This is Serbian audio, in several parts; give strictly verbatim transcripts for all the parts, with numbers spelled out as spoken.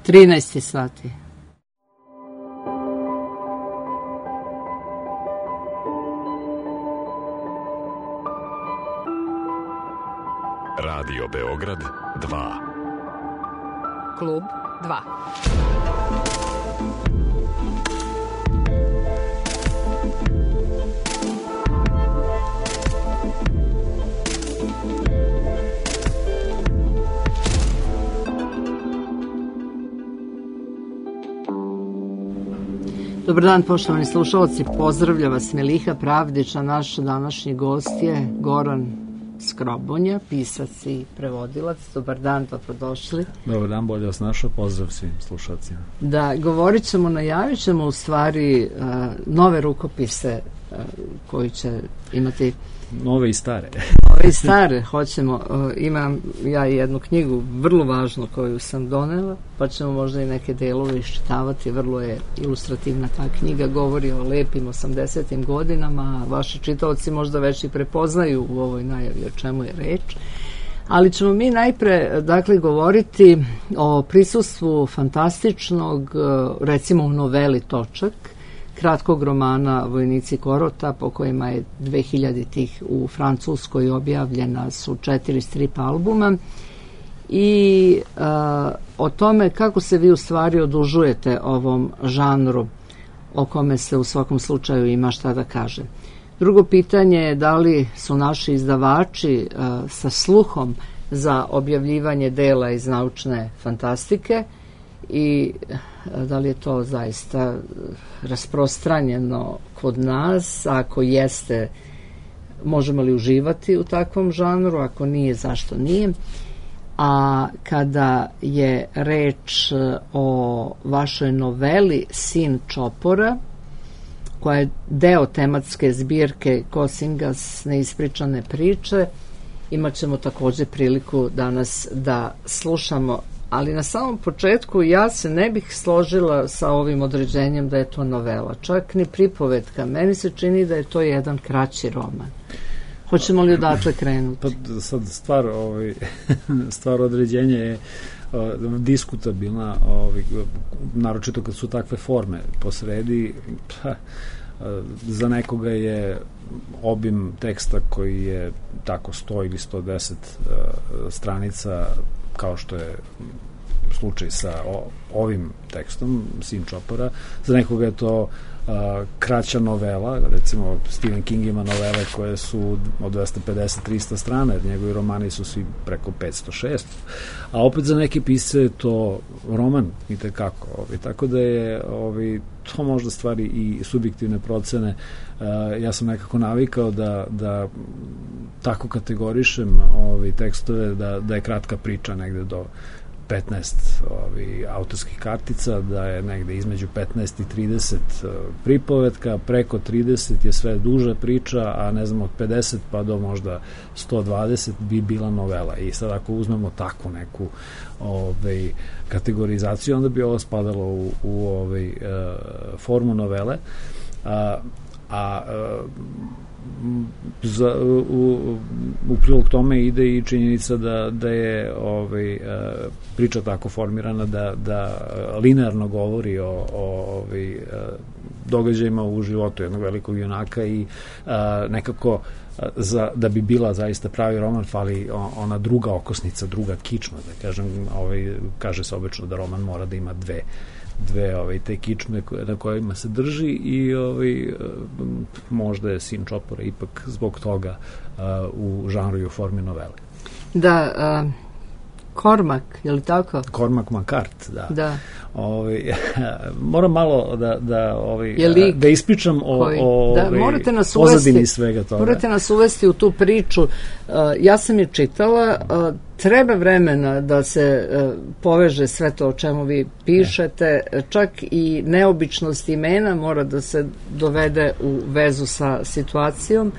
trinaest sati. Radio Beograd dva. Klub dva. Dobar dan, poštovani slušalci, pozdravlja vas Meliha Pravdić, a naš današnji gost je Goran Skrobonja, pisac i prevodilac. Dobar dan, dobrodošli. Dobar dan, bolje vas našao, pozdrav svim slušalcima. Da, govorit ćemo, najavit ćemo u stvari uh, nove rukopise uh, koji će imati... Nove i stare. Nove i stare, hoćemo. Uh, imam ja jednu knjigu vrlo važnu koju sam donela, pa ćemo možda i neke delove iščitavati. Vrlo je ilustrativna ta knjiga, govori o lepim osamdesetim godinama, vaši čitaoci možda već i prepoznaju u ovoj najavi o čemu je reč. Ali ćemo mi najpre, dakle, govoriti o prisustvu fantastičnog, recimo u noveli Točak, kratkog romana Vojnici Korota, po kojima je dve hiljaditih u Francuskoj objavljena su četiri strip albuma, i a, o tome kako se vi u stvari odužujete ovom žanru o kome se u svakom slučaju ima šta da kaže. Drugo pitanje je da li su naši izdavači a, sa sluhom za objavljivanje dela iz naučne fantastike i da li je to zaista rasprostranjeno kod nas, ako jeste, možemo li uživati u takvom žanru, ako nije, zašto nije. A kada je reč o vašoj noveli Sin Čopora, koja je deo tematske zbirke Kosingas neispričane priče, imat ćemo također priliku danas da slušamo. Ali na samom početku ja se ne bih složila sa ovim određenjem da je to novela, čak ni pripovetka. Meni se čini da je to jedan kraći roman. Hoćemo li odatle krenuti? Pa sad stvar, ovaj, stvar određenja je uh, diskutabilna, ovaj, naročito kad su takve forme posredi. Pa, uh, za nekoga je obim teksta koji je tako sto ili sto deset uh, stranica, kao što je slučaj sa o, ovim tekstom, Sin Čopora. Za nekoga je to a, kraća novela, recimo Stephen King ima novele koje su od dvesta pedeset do trista strana, jer njegovi romani su svi preko petsto šesto, a opet za neke pisce je to roman i tekako. Ovaj, tako da je ovaj, to možda stvari i subjektivne procene. A, ja sam nekako navikao da, da tako kategorišem ovaj, tekstove, da, da je kratka priča negde do petnaest ovi, autorskih kartica, da je negde između petnaest i trideset uh, pripovetka, preko trideset je sve duža priča, a ne znam, od pedeset pa do možda sto dvadeset bi bila novela. I sad ako uzmemo takvu neku ovaj, kategorizaciju, onda bi ovo spadalo u, u ovaj, uh, formu novele, a, a uh, Za, u, u prilog tome ide i činjenica da, da je ovaj, priča tako formirana da, da linearno govori o, o ovaj, događajima u životu jednog velikog junaka i a, nekako za, da bi bila zaista pravi roman fali ona druga okosnica, druga kičma, da kažem. Ovaj, kaže se obično da roman mora da ima dve dve ovaj, te kičme na kojima se drži i ovaj, možda je Sin Čopora ipak zbog toga uh, u žanru i u formi novele. Da, uh, Cormac, je li tako? Cormac McCart, da. Da. Ovaj, moram malo da, da, ovaj, da ispričam o, koji, o da, ovaj, morate nas pozadini uvesti, svega toga. Morate nas uvesti u tu priču. Uh, ja sam je čitala, uh, treba vremena da se uh, poveže sve to o čemu vi pišete, ne. Čak i neobičnost imena mora da se dovede u vezu sa situacijom.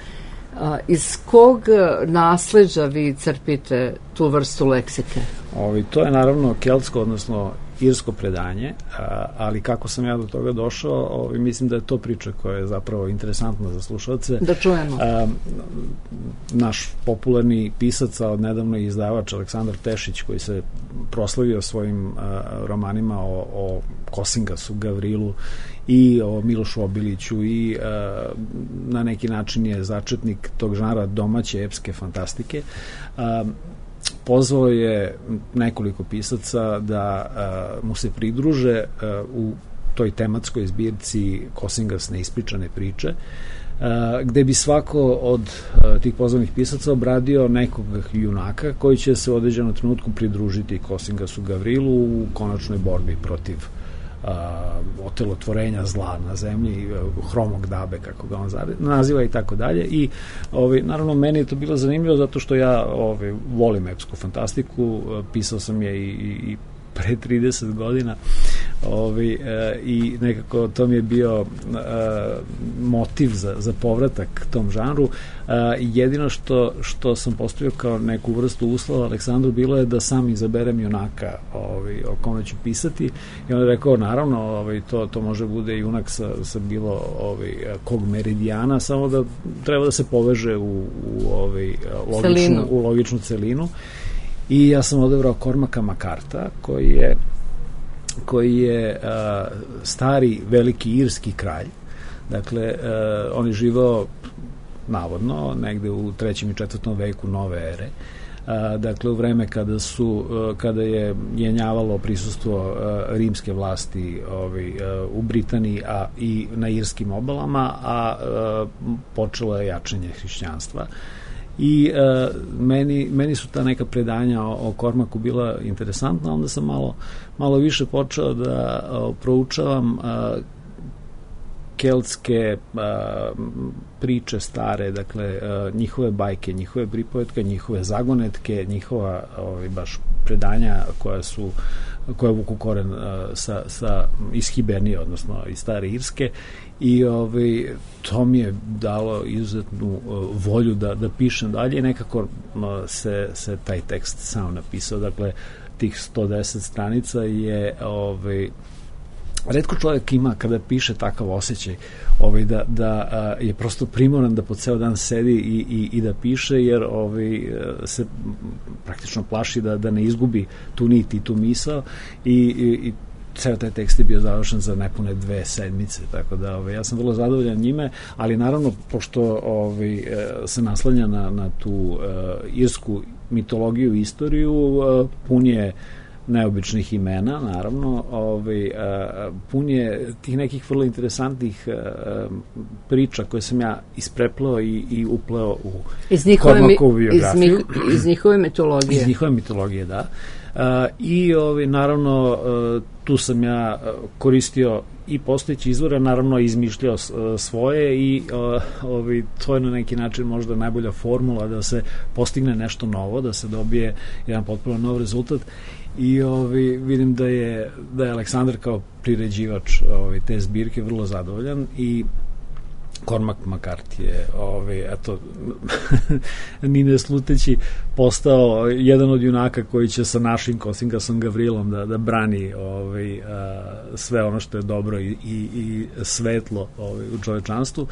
A, iz kog nasleđa vi crpite tu vrstu leksike? Ovi, to je naravno keltsko, odnosno irsko predanje, a, ali kako sam ja do toga došao, ovaj, mislim da je to priča koja je zapravo interesantna za slušalce. Da čujemo. A, naš popularni pisac, a od nedavno i izdavač Aleksandar Tešić, koji se proslavio svojim a, romanima o, o Kosingasu, Gavrilu i o Milošu Obiliću i a, na neki način je začetnik tog žanra domaće epske fantastike. A, pozvao je nekoliko pisaca da a, mu se pridruže a, u toj tematskoj zbirci Kosingas neispričane priče, a, gde bi svako od a, tih pozvanih pisaca obradio nekog junaka koji će se u određenom trenutku pridružiti Kosingasu Gavrilu u konačnoj borbi protiv a, otelotvorenja zla na zemlji, hromog dabe, kako ga on naziva i tako dalje. I ovaj, naravno meni je to bilo zanimljivo zato što ja ovaj, volim epsku fantastiku, pisao sam je i, i, i pre trideset godina ovaj, e, i nekako to mi je bio e, motiv za, za povratak tom žanru. E, jedino što, što sam postavio kao neku vrstu uslova Aleksandru bilo je da sam izaberem junaka ovaj, o kome ću pisati i on je rekao naravno ovaj, to, to može bude junak sa, sa bilo ovaj, kog meridijana, samo da treba da se poveže u, u, ovaj, logičnu, u logičnu celinu. I ja sam odabrao Cormaca McCartha, koji je, koji je uh, stari veliki irski kralj. Dakle, uh, on je živao navodno negde u trećem i četvrtom veku nove ere. Uh, dakle, u vreme kada su, uh, kada je jenjavalo prisustvo uh, rimske vlasti ovaj, uh, u Britaniji a i na irskim obalama, a uh, počelo je jačanje hrišćanstva. I uh, meni, meni su ta neka predanja o, o Cormacu bila interesantna, onda sam malo, malo više počeo da uh, proučavam uh, keltske uh, priče stare, dakle uh, njihove bajke, njihove pripovetke, njihove zagonetke, njihova ovaj, baš predanja koja su koja vuku koren uh, sa, sa iz Hibernije, odnosno iz stare Irske. I ovaj, to mi je dalo izuzetnu uh, volju da, da pišem dalje i nekako uh, se, se taj tekst sam napisao. Dakle, tih sto deset stranica je ovaj, retko čovjek ima kada piše takav osjećaj ovaj, da, da a, je prosto primoran da po ceo dan sedi i, i, i da piše, jer ovaj, se praktično plaši da, da ne izgubi tu nit i tu misao i, i, i ceo taj tekst je bio završen za nepune dve sedmice, tako da ovaj, ja sam vrlo zadovoljan njime, ali naravno pošto ovaj, se naslanja na, na tu uh, irsku mitologiju i istoriju, uh, pun je neobičnih imena, naravno, ovaj, uh, pun je tih nekih vrlo interesantnih uh, priča koje sam ja ispreplao i, i upleo u Cormacovu biografiju. Iz, iz njihove mitologije. Iz njihove mitologije, da. Uh, I ovaj, naravno uh, tu sam ja koristio i postojeći izvore, naravno izmišljao svoje i uh, ovaj, to je na neki način možda najbolja formula da se postigne nešto novo, da se dobije jedan potpuno nov rezultat. I ovaj, vidim da je, da je Aleksandar kao priređivač ovaj, te zbirke vrlo zadovoljan i Cormac McCarthy je ovaj, eto, ni ne sluteći postao jedan od junaka koji će sa našim Kosingasom Gavrilom da, da brani ovaj, a, sve ono što je dobro i, i, i svetlo ovaj, u čovečanstvu.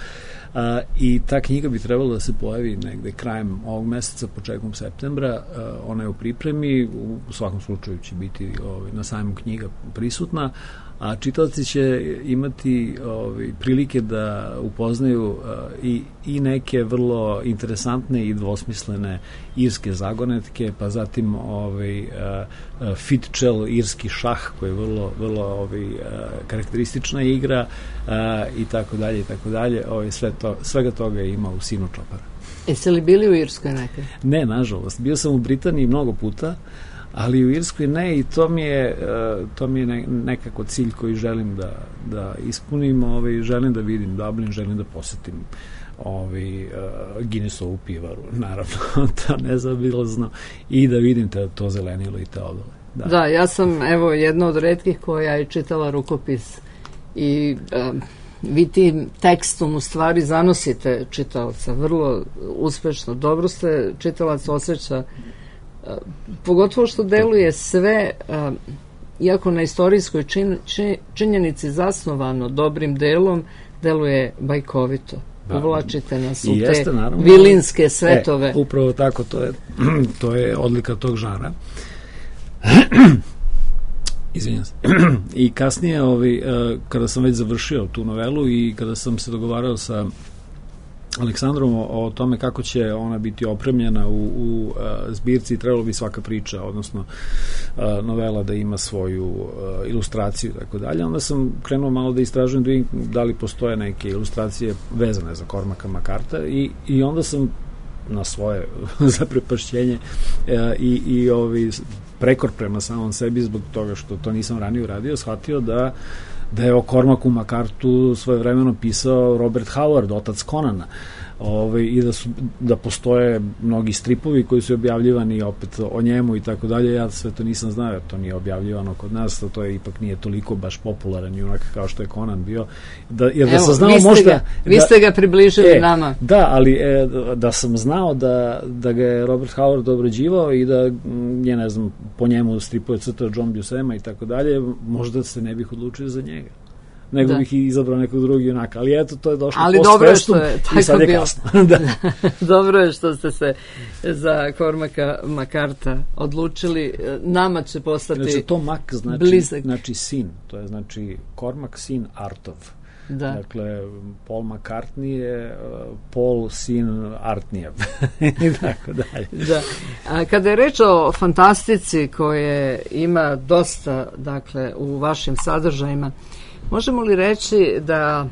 A, i ta knjiga bi trebalo da se pojavi negde krajem ovog meseca, početkom septembra. A, ona je u pripremi, u, u svakom slučaju će biti ovaj, na sajmu knjiga prisutna, a čitaoci će imati ovaj, prilike da upoznaju uh, i, i neke vrlo interesantne i dvosmislene irske zagonetke, pa zatim ovaj, uh, uh, Fitchel, irski šah, koji je vrlo, vrlo ovaj, uh, karakteristična igra uh, i tako dalje i tako dalje. Ovaj, sve to, svega toga ima u Sinu Čopara. Jeste li bili u Irskoj nekad? Ne, nažalost. Bio sam u Britaniji mnogo puta, ali u Irskoj ne, i to mi je, to mi je nekako cilj koji želim da, da ispunim, ovaj, želim da vidim Dublin, želim da posetim ovaj, Guinnessovu pivaru, naravno, to nezaobilazno, i da vidim te, to zelenilo i te odole. Da. da, ja sam, evo, jedna od retkih koja je čitala rukopis i um, vi tim tekstom u stvari zanosite čitaoca vrlo uspešno, dobro ste čitalac osjeća, pogotovo što deluje sve uh, iako na istorijskoj čin, čin, činjenici zasnovano dobrim delom, deluje bajkovito. Uvlačite nas u jeste, te naravno, vilinske svetove. E, upravo tako, to je, to je odlika tog žara. Izvinjam se. I kasnije, ovi, kada sam već završio tu novelu i kada sam se dogovarao sa Aleksandrom o, o tome kako će ona biti opremljena u, u uh, zbirci, trebalo bi svaka priča, odnosno uh, novela da ima svoju uh, ilustraciju i tako dalje. Onda sam krenuo malo da istražujem da vidim da li postoje neke ilustracije vezane za Cormaca McCartha i, i onda sam na svoje zaprepašćenje uh, i, i ovi prekor prema samom sebi zbog toga što to nisam ranije uradio, shvatio da da je o Cormacu McCarthu svojevremeno pisao Robert Howard, otac Conana, Ove, i da, su, da postoje mnogi stripovi koji su objavljivani opet o njemu i tako dalje. Ja sve to nisam znao, to nije objavljivano kod nas, to je ipak nije toliko baš popularan junak kao što je Conan bio. Da, jer da Evo, sam znao vi ste možda... Ga, vi da, ste ga približili e, nama. Da, ali e, da sam znao da, da ga je Robert Howard obrađivao i da je, ne znam, po njemu stripove crtao John Buscema i tako dalje, možda se ne bih odlučio za njega. Nego da. bih i izabrao nekog drugog junaka. Ali eto, to je došlo ali post festum i sad je bilo. kasno. Da. Dobro je što ste se za Cormaca McCartha odlučili. Nama će postati znači, to Mac znači, blizak. Znači sin. To je znači Cormac sin Artov. Da. Dakle, Paul McCartney je uh, Paul sin Artnijev. I tako dalje. Da. A kada je reč o fantastici koje ima dosta, dakle, u vašim sadržajima, možemo li reći da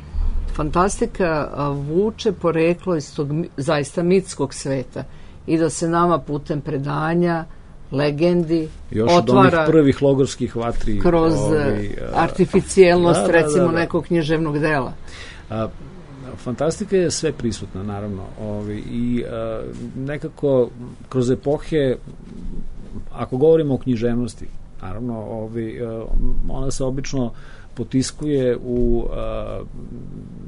fantastika vuče poreklo iz tog zaista mitskog sveta i da se nama putem predanja, legendi još otvara od onih prvih logorskih vatri kroz ovi, artificijelnost, da, da, recimo, da, da. nekog književnog dela? A, fantastika je sve prisutna, naravno. Ovi, I a, nekako kroz epohe, ako govorimo o književnosti, naravno, ovi, a, ona se obično potiskuje u a,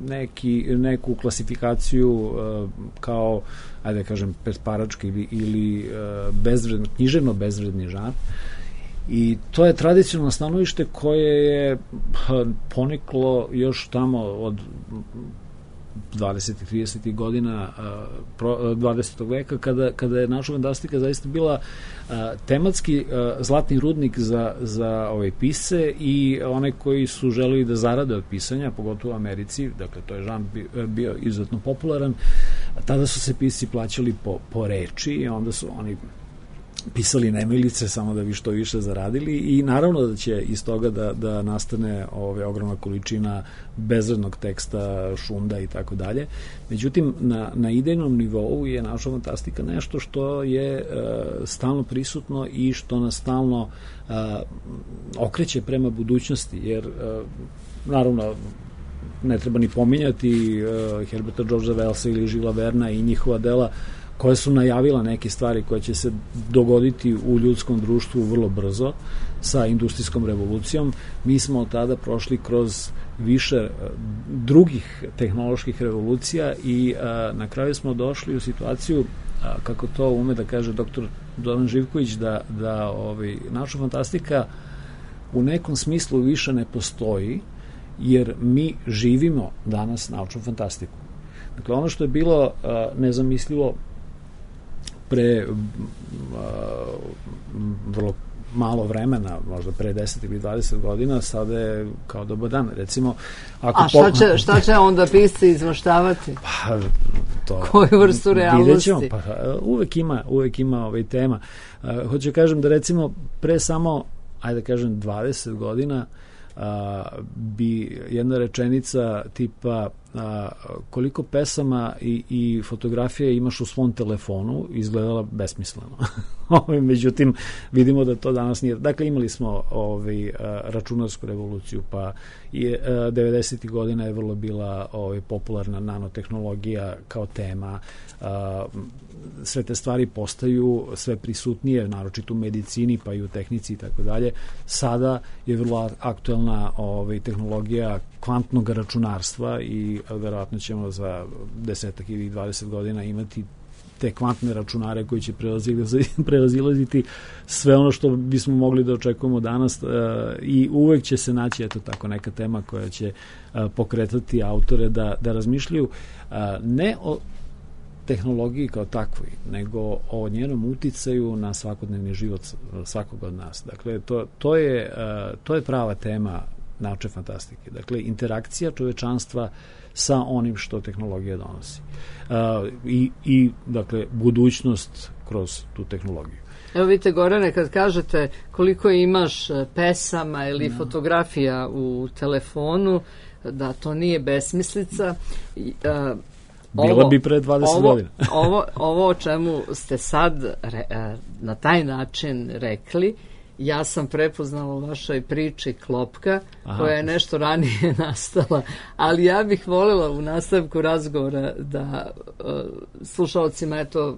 neki, neku klasifikaciju a, kao, ajde da kažem, petparački ili, ili a, bezvredno, književno bezvredni žanr. I to je tradicionalno stanovište koje je poniklo još tamo od dvadesetih tridesetih godina dvadesetog veka, kada, kada je naša fantastika zaista bila a, tematski a, zlatni rudnik za, za ove pisce i one koji su želeli da zarade od pisanja, pogotovo u Americi, dakle to je žanr bio, bio izuzetno popularan. Tada su se pisci plaćali po, po reči i onda su oni pisali nemilice samo da bi što više zaradili i naravno da će iz toga da, da nastane ove ogromna količina bezvrednog teksta, šunda i tako dalje. Međutim, na, na idejnom nivou je naša fantastika nešto što je e, stalno prisutno i što nas stalno e, okreće prema budućnosti, jer e, naravno ne treba ni pominjati e, Herberta Georgea Wellsa ili Žila Verna i njihova dela koje su najavila neke stvari koje će se dogoditi u ljudskom društvu vrlo brzo sa industrijskom revolucijom. Mi smo od tada prošli kroz više drugih tehnoloških revolucija i a, na kraju smo došli u situaciju, a, kako to ume da kaže doktor Zoran Živković, da, da ovaj, naša fantastika u nekom smislu više ne postoji, jer mi živimo danas naučnu fantastiku. Dakle, ono što je bilo a, nezamislivo pre uh, vrlo malo vremena, možda pre deset ili dvadeset godina, sada je kao dobar dan. Recimo, ako a šta će, šta će onda pisci izmaštavati? Pa, to, koju vrstu realnosti? Pa, uvek ima, uvek ima ovaj tema. Uh, hoću kažem da recimo pre samo, ajde da kažem, dvadeset godina uh, bi jedna rečenica tipa a, koliko pesama i, i fotografije imaš u svom telefonu izgledala besmisleno. Međutim, vidimo da to danas nije. Dakle, imali smo ovaj, računarsku revoluciju, pa i devedesetih godina je vrlo bila ovaj, popularna nanotehnologija kao tema. A, sve te stvari postaju sve prisutnije, naročito u medicini, pa i u tehnici i tako dalje. Sada je vrlo aktuelna ovaj, tehnologija kvantnog računarstva i verovatno ćemo za desetak ili dvadeset godina imati te kvantne računare koji će prevazilaziti sve ono što bismo mogli da očekujemo danas i uvek će se naći eto tako neka tema koja će pokretati autore da, da razmišljaju ne o tehnologiji kao takvoj, nego o njenom uticaju na svakodnevni život svakog od nas. Dakle, to, to, je, to je prava tema naučne fantastike. Dakle, interakcija čovečanstva sa onim što tehnologija donosi. I, i dakle, budućnost kroz tu tehnologiju. Evo vidite, Gorane, kad kažete koliko imaš pesama ili no. fotografija u telefonu, da to nije besmislica. Uh, Bila ovo, bi pre dvadeset ovo, godina. ovo, ovo o čemu ste sad re, na taj način rekli, ja sam prepoznala u vašoj priči Klopka, Aha. koja je nešto ranije nastala, ali ja bih voljela u nastavku razgovora da uh, slušalcima eto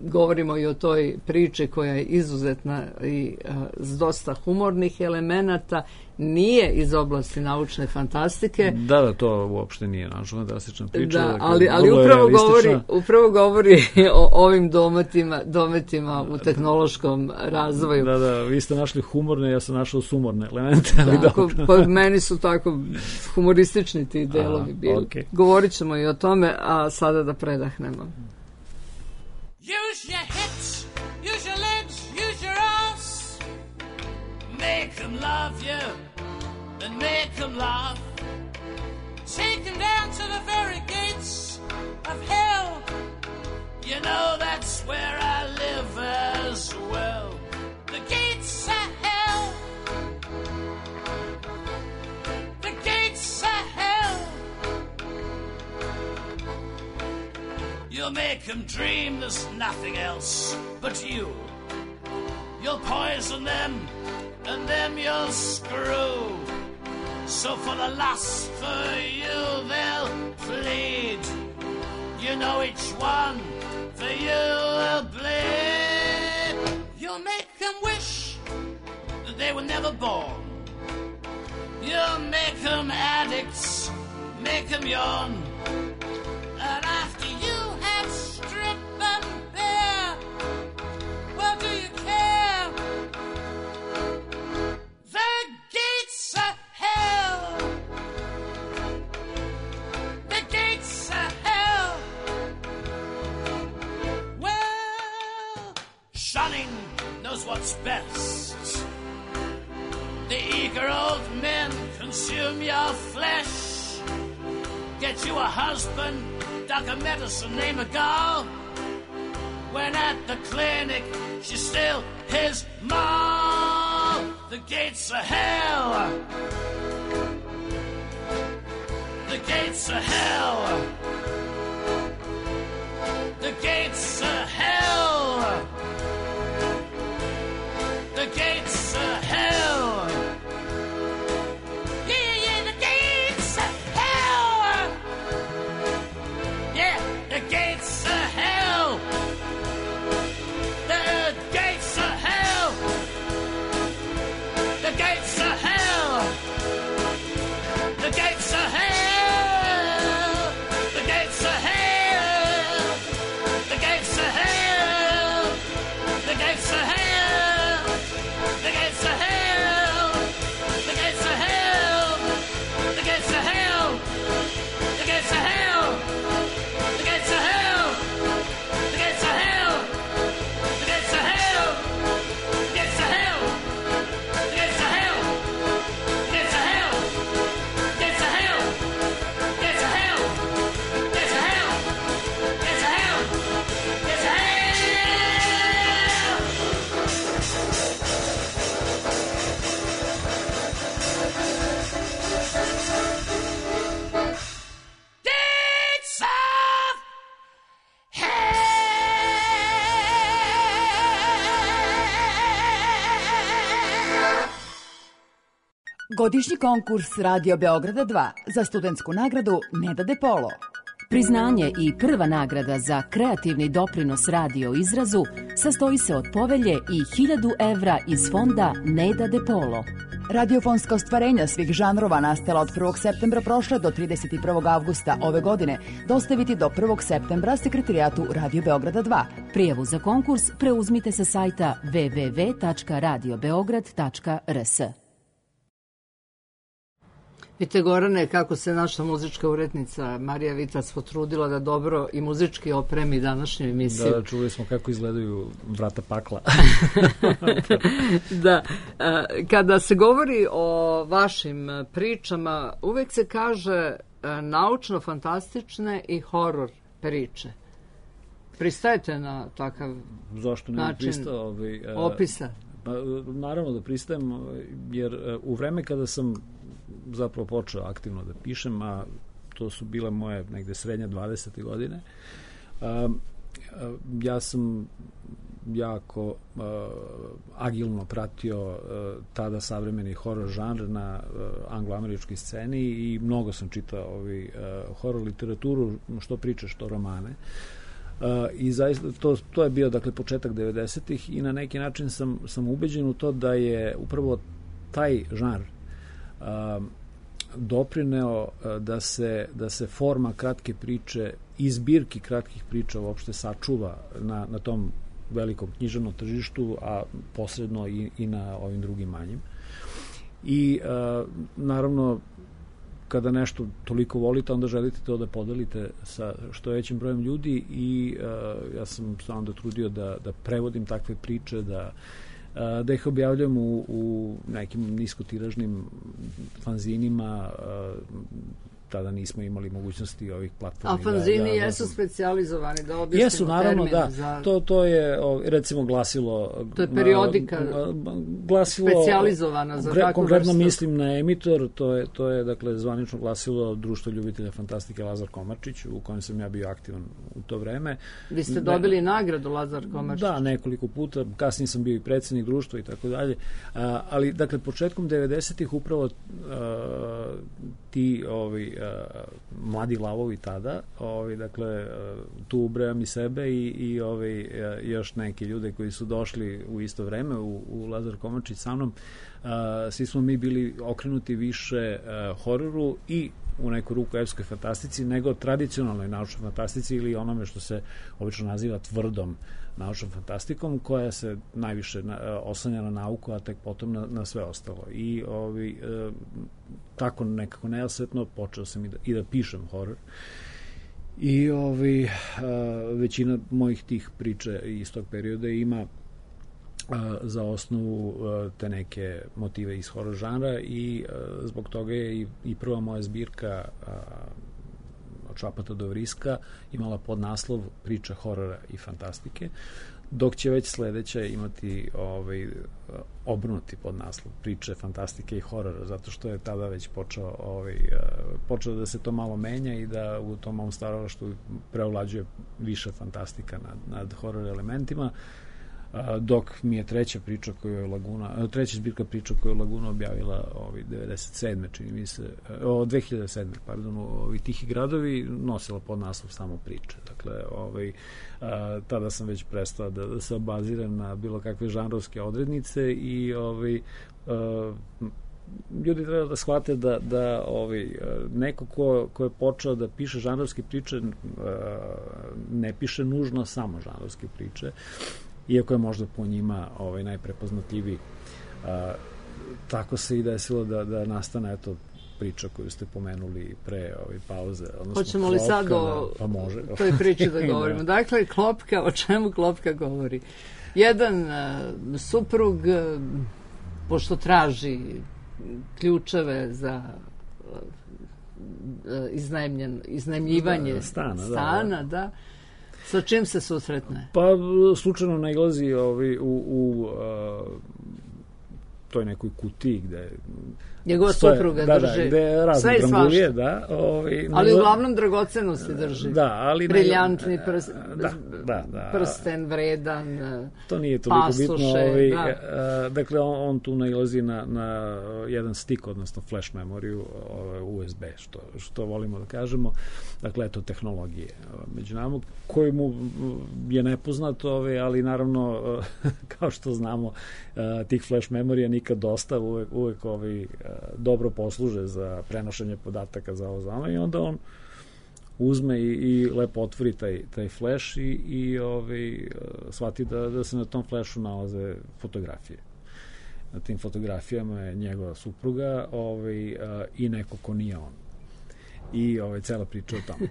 govorimo i o toj priči koja je izuzetna i uh, s dosta humornih elemenata, nije iz oblasti naučne fantastike. Da, da, to uopšte nije naučna fantastična priča. Da, ali, ali upravo, govori, upravo govori o ovim dometima, dometima u tehnološkom razvoju. Da, da, vi ste našli humorne, ja sam našao sumorne elemente. Ali tako, pa meni su tako humoristični ti delovi bili. Okay. Govorit ćemo i o tome, a sada da predahnemo. Use your hips, use your legs, use your ass. Make them love you, and make them laugh. Take them down to the very gates of hell. You know that's where I live as well. The gates of hell. The gates of hell. You'll make them dream there's nothing else but you. You'll poison them, and them you'll screw. So for the lust for you they'll plead. You know each one for you will bleed. You'll make them wish that they were never born. You'll make them addicts, make them yawn. And after you have stripped them bare, well, do you care? The gates of hell. The gates of hell. Well, shunning knows what's best. The eager old men consume your flesh. Get you a husband, doc a medicine, name a gal. When at the clinic, she's still his mom. The gates of hell. The gates of hell. The gates of hell. The gates of hell. Yeah, yeah, the gates of hell. Yeah, the gates of hell. The gates of hell. The gates of hell. The gates of hell. The gates of hell. The gates of hell. The gates of hell. The gates of hell. The gates of hell. The gates of hell. The gates of hell. The gates of hell. The gates of hell. The gates of hell. The gates of hell. The gates of hell. The gates of hell. Gates of hell. Gates of hell. Gates of hell. Gates of hell. Gates of hell. Gates of hell. Godišnji konkurs Radio Beograda dva za studentsku nagradu Neda de Polo. Priznanje i prva nagrada za kreativni doprinos radio izrazu sastoji se od povelje i hiljadu evra iz fonda Neda de Polo. Radiofonska ostvarenja svih žanrova nastala od prvog septembra prošle do trideset prvog avgusta ove godine dostaviti do prvog septembra Sekretarijatu Radio Beograda dva. Prijavu za konkurs preuzmite sa sajta w w w tačka radio beograd tačka r s. Vidite, Gorane, kako se naša muzička urednica Marija Vitac potrudila da dobro i muzički opremi današnju emisiju. Da, čuli smo kako izgledaju vrata pakla. Da, kada se govori o vašim pričama, uvek se kaže naučno-fantastične i horor priče. Pristajete na takav Zašto ne način pristao, ovaj, opisa? Pa, naravno da pristajem, jer u vreme kada sam zapravo počeo aktivno da pišem, a to su bile moje negde srednje dvadesete godine, a, a, ja sam jako a, agilno pratio a, tada savremeni horor žanr na a, angloameričkoj sceni i mnogo sam čitao ovi, a, horor literaturu, što priče, što romane. Uh, i zaista to, to je bio dakle početak devedesetih i na neki način sam, sam ubeđen u to da je upravo taj žanr uh, doprineo uh, da se, da se forma kratke priče i zbirki kratkih priča uopšte sačuva na, na tom velikom književnom tržištu, a posredno i, i na ovim drugim manjim. I uh, naravno kada nešto toliko volite, onda želite to da podelite sa što većim brojem ljudi i uh, ja sam se onda trudio da, da prevodim takve priče, da, uh, da ih objavljam u, u nekim niskotiražnim fanzinima. Uh, tada nismo imali mogućnosti ovih platformi. A fanzini da, da, jesu specijalizovani, da objasnimo jesu, naravno, termin da. za... To, to je, recimo, glasilo... To je periodika glasilo, specijalizovana za takvu konkretno vrstu. mislim na Emitor, to je, to je dakle, zvanično glasilo Društva ljubitelja fantastike Lazar Komarčić, u kojem sam ja bio aktivan u to vreme. Vi ste dobili ne, nagradu Lazar Komarčić? Da, nekoliko puta. Kasnije sam bio i predsjednik društva i tako dalje. Ali, dakle, početkom devedesetih upravo a, ti ovi, a, mladi lavovi tada, ovi, dakle, a, tu ubrajam i sebe i, i ovi, a, još neki ljude koji su došli u isto vreme u, u Lazar Komarčić sa mnom, a, svi smo mi bili okrenuti više a, hororu i u neku ruku epskoj fantastici nego tradicionalnoj naučnoj fantastici ili onome što se obično naziva tvrdom naučnom fantastikom, koja se najviše na, oslanja na nauku, a tek potom na, na sve ostalo. I ovi, e, tako nekako nejasvetno počeo sam i da, i da pišem horor. I ovi, e, većina mojih tih priča iz tog perioda ima za osnovu te neke motive iz horor žanra i zbog toga je i, i prva moja zbirka od Šapata do Vriska imala podnaslov Priča horora i fantastike, dok će već sledeća imati ovaj, obrnuti podnaslov Priče fantastike i horora, zato što je tada već počeo, ovaj, počeo da se to malo menja i da u tom mom stvaralaštvu preovlađuje više fantastika nad, nad horor elementima, dok mi je treća priča koju je Laguna, treća zbirka priča koju je Laguna objavila ovaj devedeset sedme čini mi se, o dve hiljade sedme pardon, ovi Tihi gradovi nosila pod naslov samo priče. Dakle, ovaj a, tada sam već prestao da, da se obaziram na bilo kakve žanrovske odrednice i ovaj a, ljudi treba da shvate da, da ovaj, neko ko, ko je počeo da piše žanrovske priče ne piše nužno samo žanrovske priče, iako je možda po njima ovaj, najprepoznatljiviji. A, tako se i desilo da, da nastane eto, priča koju ste pomenuli pre ovaj, pauze. Hoćemo li sad o pa može. toj priči da govorimo? Da. Dakle, Klopka, o čemu Klopka govori? Jedan uh, suprug, uh, pošto traži ključeve za uh, iznajmljen, iznajmljivanje da, stana, stana, da, da. Sa čim se susretne? Pa slučajno nailazi ovaj, u, u uh, toj nekoj kutiji gde njegova supruga da, drži da, gde razne sve i drangulije, svašta. Da, ovaj, ali ne, uglavnom dragocenosti drži. Da, ali briljantni prst, da, da, da, prsten vredan, to nije toliko pasoše, bitno. Ovaj, da. a, dakle, on, on tu nailazi na, na jedan stik, odnosno flash memoriju, U S B, što, što volimo da kažemo. Dakle, eto, tehnologije među nama, koji mu je nepoznato, ovaj, ali naravno, kao što znamo, tih flash memorija nikad dosta, uvek, uvek ovi, dobro posluže za prenošenje podataka za ovo zano i onda on uzme i, i lepo otvori taj, taj flash i, i ovi, shvati da, da se na tom flashu nalaze fotografije. Na tim fotografijama je njegova supruga ovaj, i neko ko nije on. I ovaj, cela priča o tome.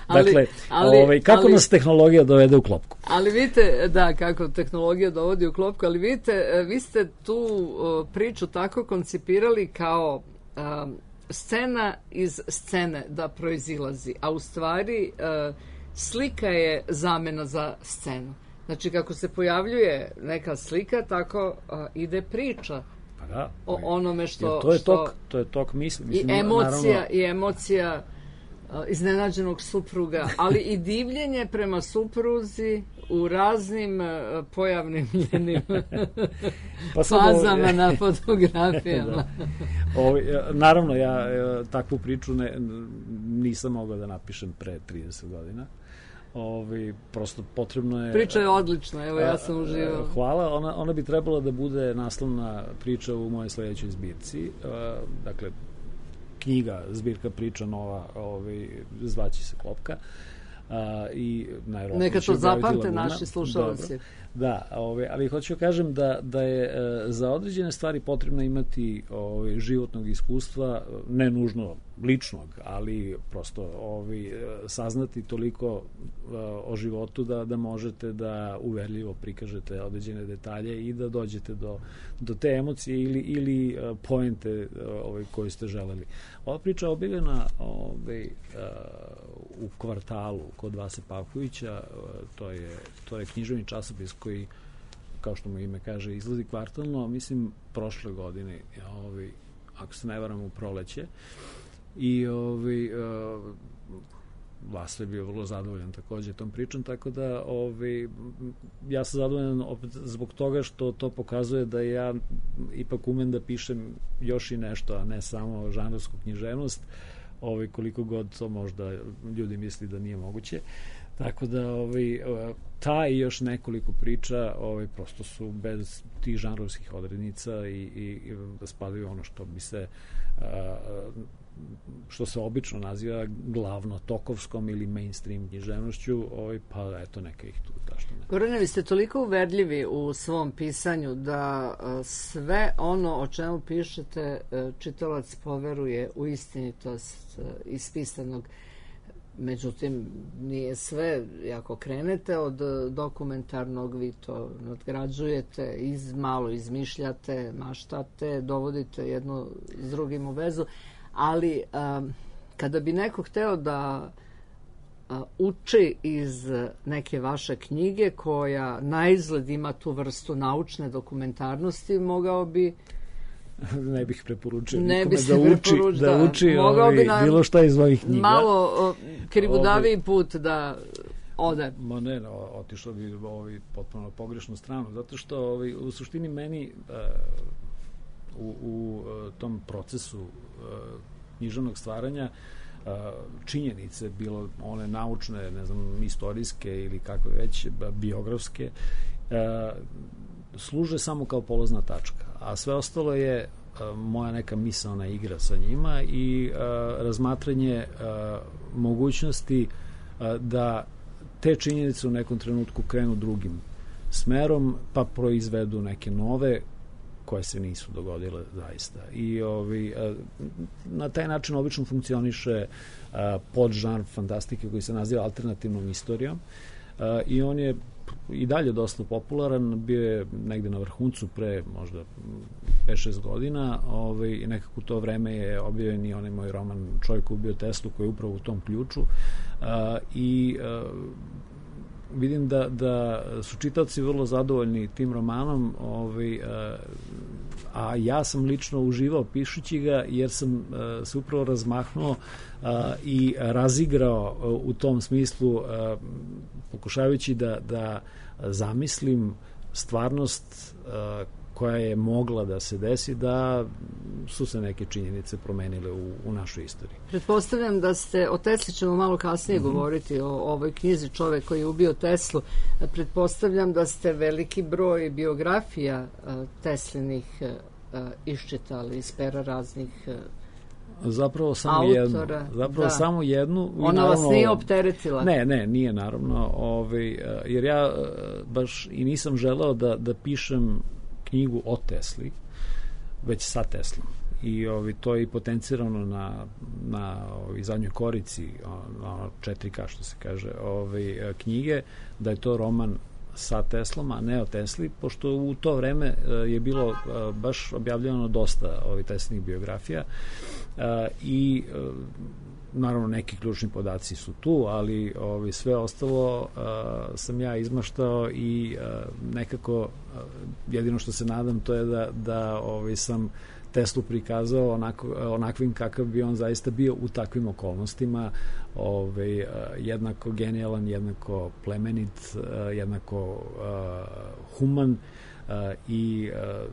Dakle, ali, ovaj, kako ali, nas tehnologija dovede u klopku? Ali vidite, da, kako tehnologija dovodi u klopku, ali vidite, vi ste tu uh, priču tako koncipirali kao um, scena iz scene da proizilazi, a u stvari uh, slika je zamena za scenu. Znači, kako se pojavljuje neka slika, tako uh, ide priča. Pa da, o onome što... To je što, tok, to je tok misli. Mislim, I emocija, naravno, i emocija uh, iznenađenog supruga, ali i divljenje prema supruzi u raznim uh, pojavnim ljenim pa fazama ovo, na fotografijama. Da. Ovo, naravno, ja takvu priču ne, nisam mogao da napišem pre trideset godina. Ovi, prosto potrebno je... Priča je odlična, evo ja sam uživao. Hvala, ona, ona bi trebala da bude naslovna priča u mojoj sledećoj zbirci. Dakle, knjiga, zbirka priča nova, ovi, zvaći se Klopka. A, i neka to zapamte naši slušalci. Da, ove, ali hoću da kažem da, da je e, za određene stvari potrebno imati ove, životnog iskustva, ne nužno ličnog, ali prosto ove, saznati toliko e, o životu da, da možete da uverljivo prikažete određene detalje i da dođete do, do te emocije ili, ili e, poente ove, koje ste želeli. Ova priča je objavljena ove, e, u Kvartalu kod Vase Pavkovića, to je, to je književni časopis koji, kao što mu ime kaže, izlazi kvartalno, mislim, prošle godine, ovi, ako se ne varam, u proleće. I ovi, uh, Vasa je bio vrlo zadovoljan takođe tom pričom, tako da ovi, ja sam zadovoljan opet zbog toga što to pokazuje da ja ipak umem da pišem još i nešto, a ne samo žanrovsku književnost, ovi, koliko god to možda ljudi misli da nije moguće. Tako da ovaj, ta i još nekoliko priča ovaj, prosto su bez tih žanrovskih odrednica i, i, i spadaju ono što bi se a, što se obično naziva glavno tokovskom ili mainstream književnošću, ovaj, pa eto neka ih tu zašto ne. Gorane, vi ste toliko uverljivi u svom pisanju da sve ono o čemu pišete čitalac poveruje u istinitost ispisanog. Međutim, nije sve. Ako krenete od dokumentarnog, vi to nadgrađujete, iz, malo izmišljate, maštate, dovodite jedno s drugim u vezu. Ali um, kada bi neko hteo da uh, uči iz neke vaše knjige koja na izgled ima tu vrstu naučne dokumentarnosti, mogao bi ne bih preporučio ne bi da uči, da, da uči ovaj, bi bilo šta iz ovih knjiga. Malo uh, krivudaviji put da ode. Ma ne, no, otišlo bi ovaj, potpuno pogrešnu stranu, zato što ovaj, u suštini meni uh, u, u uh, tom procesu uh, književnog stvaranja uh, činjenice, bilo one naučne, ne znam, istorijske ili kako već, biografske, uh, služe samo kao polazna tačka, a sve ostalo je uh, moja neka misaona igra sa njima i uh, razmatranje uh, mogućnosti uh, da te činjenice u nekom trenutku krenu drugim smerom, pa proizvedu neke nove koje se nisu dogodile zaista. I ovi, na taj način obično funkcioniše podžanr fantastike koji se naziva alternativnom istorijom i on je i dalje dosta popularan, bio je negde na vrhuncu pre možda pet šest godina, ovaj, i nekako u to vreme je objavljen i onaj moj roman Čovjek koji ubio Teslu, koji je upravo u tom ključu a, i a, vidim da, da su čitaoci vrlo zadovoljni tim romanom, ovaj, a, a ja sam lično uživao pišući ga jer sam a, se upravo razmahnuo a, i razigrao a, u tom smislu a, pokušavajući da, da zamislim stvarnost a, koja je mogla da se desi, da su se neke činjenice promenile u, u našoj istoriji. Pretpostavljam da ste, o Tesli ćemo malo kasnije mm-hmm. govoriti, o ovoj knjizi Čovek koji je ubio Teslu. Pretpostavljam da ste veliki broj biografija Teslinih iščitali iz pera raznih Zapravo samo autora, jednu. Zapravo da. samo jednu. Ona naravno, vas nije opteretila? Ne, ne, nije naravno. Ovaj, jer ja baš i nisam želeo da, da pišem knjigu o Tesli, već sa Teslom. I ovaj, to je i potencirano na, na ovaj, zadnjoj korici, ono četiri ka što se kaže, ovaj, knjige, da je to roman sa Teslom, a ne o Tesli, pošto u to vreme je bilo baš objavljeno dosta ovih Teslinih biografija i naravno neki ključni podaci su tu, ali ovi, sve ostalo a, sam ja izmaštao i a, nekako a, jedino što se nadam to je da, da ovi, sam Teslu prikazao onako, onakvim kakav bi on zaista bio u takvim okolnostima, ovaj, a, jednako genijalan, jednako plemenit, a, jednako a, human a, i a,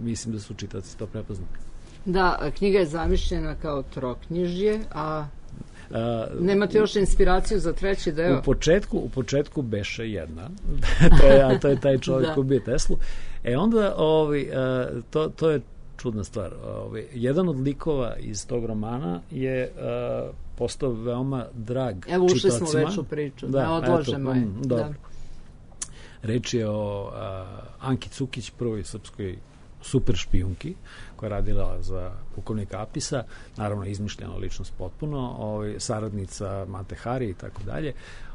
mislim da su čitaoci to prepoznali. Da, knjiga je zamišljena kao troknjižje, a Uh, nemate još inspiraciju za treći deo? U početku, u početku beše jedna. to, je, a to je taj čovjek koji ubije Teslu. E onda, ovaj, uh, to, to je čudna stvar. Ovaj, jedan od likova iz tog romana je uh, postao veoma drag čitacima. Evo, ušli smo već u priču. Da, da odložemo je. Mm, da. Reč je o uh, Anki Cukić, prvoj srpskoj super špijunki koja je radila za pukovnika Apisa, naravno izmišljena ličnost potpuno, ovaj, saradnica Mate Hari i tako dalje.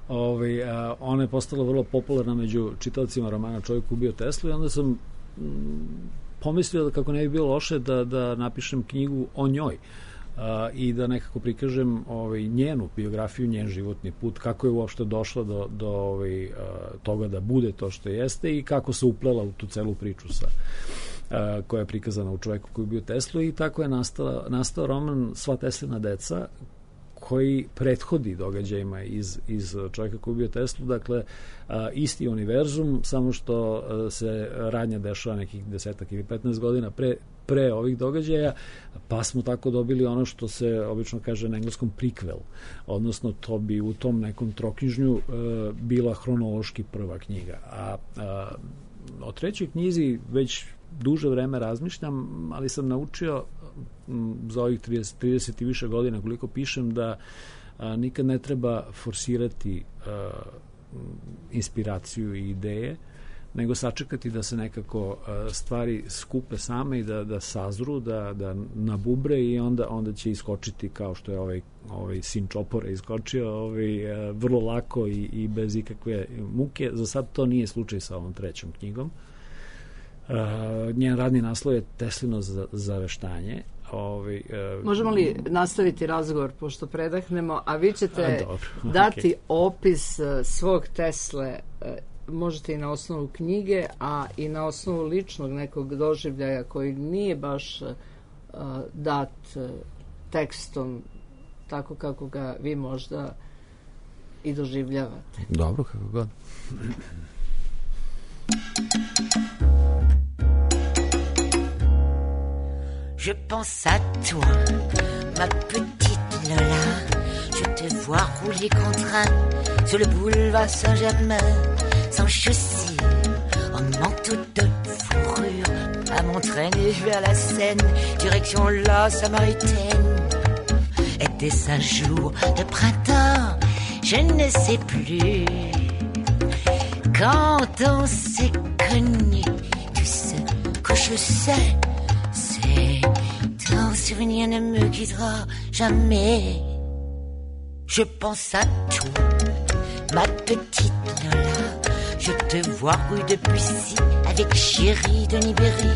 Ovaj, a, ona je postala vrlo popularna među čitaocima romana Čovjek ubio Teslu i onda sam mm, pomislio da kako ne bi bilo loše da, da napišem knjigu o njoj a, i da nekako prikažem ovaj, njenu biografiju, njen životni put, kako je uopšte došla do, do ovaj, a, toga da bude to što jeste i kako se uplela u tu celu priču sa koja je prikazana u Čoveku koji je bio Teslu i tako je nastao, nastao roman Sva Teslina deca koji prethodi događajima iz, iz Čoveka koji je bio Teslu, dakle a, isti univerzum, samo što a, se radnja dešava nekih desetak ili petnaest godina pre, pre ovih događaja, pa smo tako dobili ono što se obično kaže na engleskom prequel, odnosno to bi u tom nekom troknjižnju a, bila hronološki prva knjiga. A, a o trećoj knjizi već duže vreme razmišljam, ali sam naučio m, za ovih trideset, trideset i više godina koliko pišem da a, nikad ne treba forsirati a, inspiraciju i ideje, nego sačekati da se nekako a, stvari skupe same i da, da sazru, da, da nabubre i onda, onda će iskočiti kao što je ovaj, ovaj sin Čopora iskočio ovaj, a, vrlo lako i, i bez ikakve muke. Za sad to nije slučaj sa ovom trećom knjigom. Uh, njen radni naslov je Teslino zaveštanje. Ovaj, uh, Možemo li nastaviti razgovor pošto predahnemo, a vi ćete a, dobro, dati okay. opis uh, svog Tesle, uh, možete i na osnovu knjige, a i na osnovu ličnog nekog doživljaja koji nije baš uh, dat uh, tekstom tako kako ga vi možda i doživljavate. Dobro, kako god. Je pense à toi, ma petite Lola. Je te vois rouler contraint sur le boulevard Saint-Germain, sans chaussures, en manteau de fourrure, à m'entraîner vers la Seine, direction la Samaritaine. Était-ce un jour de printemps? Je ne sais plus. Quand on s'est connus, tu sais que je sais. Ton souvenir ne me quittera jamais. Je pense à toi, ma petite Lola. Je te vois rue de Bussy avec chéri de Nibéry.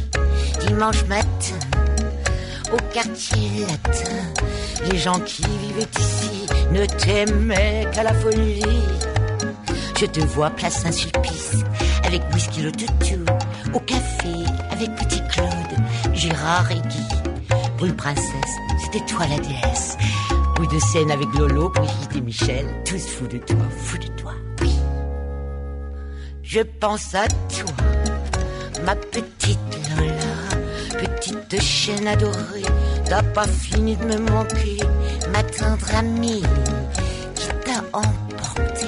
Dimanche matin, au quartier latin, les gens qui vivaient ici ne t'aimaient qu'à la folie. Je te vois place Saint-Sulpice avec whisky le toutou, au café avec Petit Claude, Gérard et Guy. Rue Princesse, c'était toi la déesse. Rue de Seine avec Lolo, Brigitte et Michel, tous fous de toi, fous de toi, oui. Je pense à toi, ma petite Lola. petite chienne adorée, t'as pas fini de me manquer, ma tendre amie qui t'a emporté.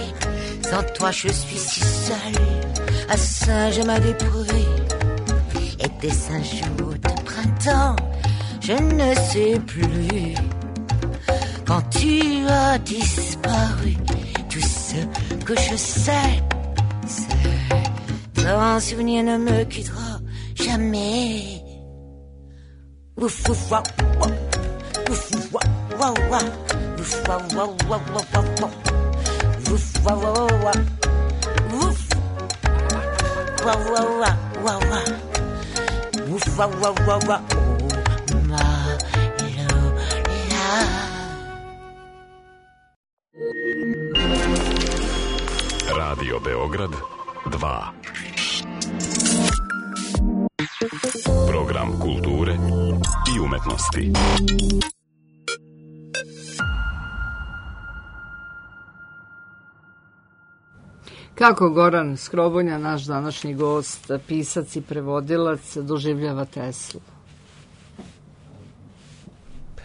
Sans toi je suis si seule, à Saint-Germain-des-Prés. Et des cinq jours de printemps, je ne sais plus. Quand tu as disparu, tout ce que je sais, c'est ton souvenir ne me quittera jamais. Ouf ouf wa wa, ouf ouf wa wa wa, ouf wa wa wa wa wa wa, ouf wa wa wa, ouf wa wa wa wa wa, ouf wa wa wa wa, oh ma Lola. Radio Beograd dva. Program kulture i umetnosti. Kako Goran Skrobonja, naš današnji gost, pisac i prevodilac, doživljava Teslu?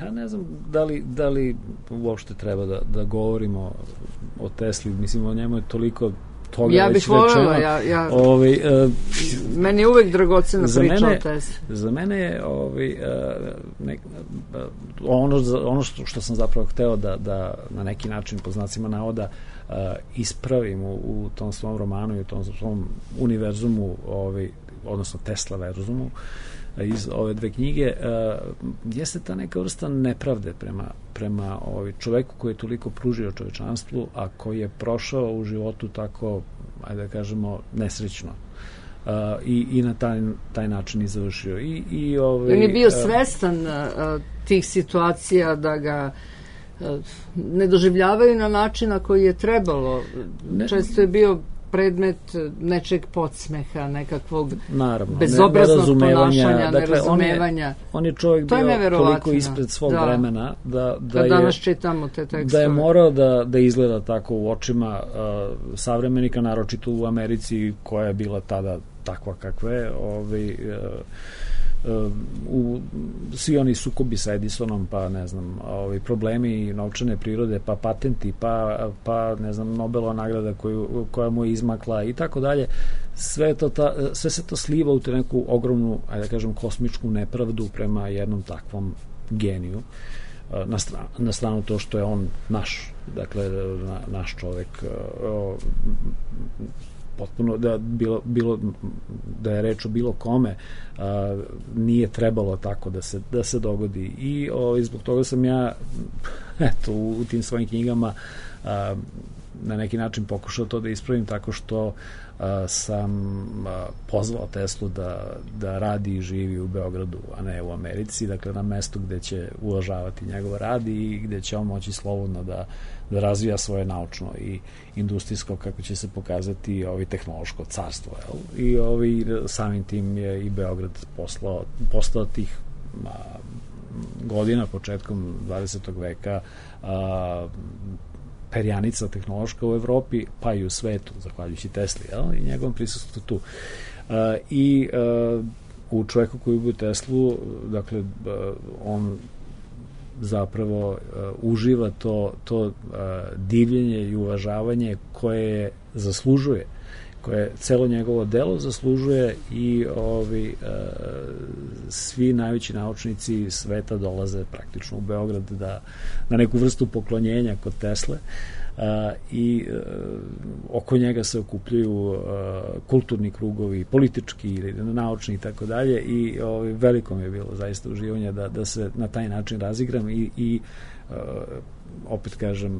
Ja ne znam da li, da li uopšte treba da, da govorimo o Tesli, mislim o njemu je toliko toga ja već bih voljela, rečeno. ja, ja, ovaj, uh, meni je uvek dragocena priča o Tesli. Za mene je ovaj, uh, nek, uh, ono, ono što, što sam zapravo hteo da, da na neki način po znacima navoda uh, ispravim u, u tom svom romanu i u tom svom univerzumu, ovaj, odnosno Tesla verzumu, iz ove dve knjige, uh, jeste ta neka vrsta nepravde prema, prema ovaj čoveku koji je toliko pružio čovečanstvu, a koji je prošao u životu tako, ajde da kažemo, nesrećno. Uh, i, i na taj, taj način i završio. I, i, ovaj, On je bio svestan uh, tih situacija da ga uh, ne doživljavaju na način na koji je trebalo. Ne, Često je bio predmet nečeg podsmeha, nekakvog naravno, bezobraznog ponašanja, dakle, nerazumevanja. On je, on je čovjek to bio je toliko ispred svog da. vremena da, da, da danas je, čitamo te tekstove. Da je morao da, da izgleda tako u očima uh, savremenika, naročito u Americi koja je bila tada takva kakva je. Ovaj, uh, u svi oni sukobi sa Edisonom, pa ne znam, ovi problemi novčane prirode, pa patenti, pa, pa ne znam, Nobelova nagrada koju, koja mu je izmakla i tako dalje, sve, to ta, sve se to sliva u te neku ogromnu, ajde da kažem, kosmičku nepravdu prema jednom takvom geniju. Na stranu, na stranu to što je on naš, dakle na, naš čovek, o, potpuno da bilo, bilo da je reč o bilo kome, a, nije trebalo tako da se, da se dogodi i o, zbog toga sam ja eto u, u tim svojim knjigama a, na neki način pokušao to da ispravim tako što a, sam a, pozvao Teslu da, da radi i živi u Beogradu, a ne u Americi, dakle na mestu gde će uvažavati njegov rad i gde će on moći slobodno da, da razvija svoje naučno i industrijsko, kako će se pokazati, ovi tehnološko carstvo, jel? I ovi, samim tim je i Beograd poslao, postao tih a, godina, početkom dvadesetog veka, a, perjanica tehnološka u Evropi, pa i u svetu, zahvaljujući Tesli, jel? I njegovom prisustvu tu. Uh, I uh, u čoveku koji ubio Teslu, dakle, uh, on zapravo uh, uživa to, to uh, divljenje i uvažavanje koje zaslužuje, koje celo njegovo delo zaslužuje i ovi, uh, svi najveći naučnici sveta dolaze praktično u Beograd da, na neku vrstu poklonjenja kod Tesle uh, i uh, oko njega se okupljaju uh, kulturni krugovi, politički ili naučni i tako dalje i ovi, veliko mi je bilo zaista uživanje da, da se na taj način razigram i, i uh, opet kažem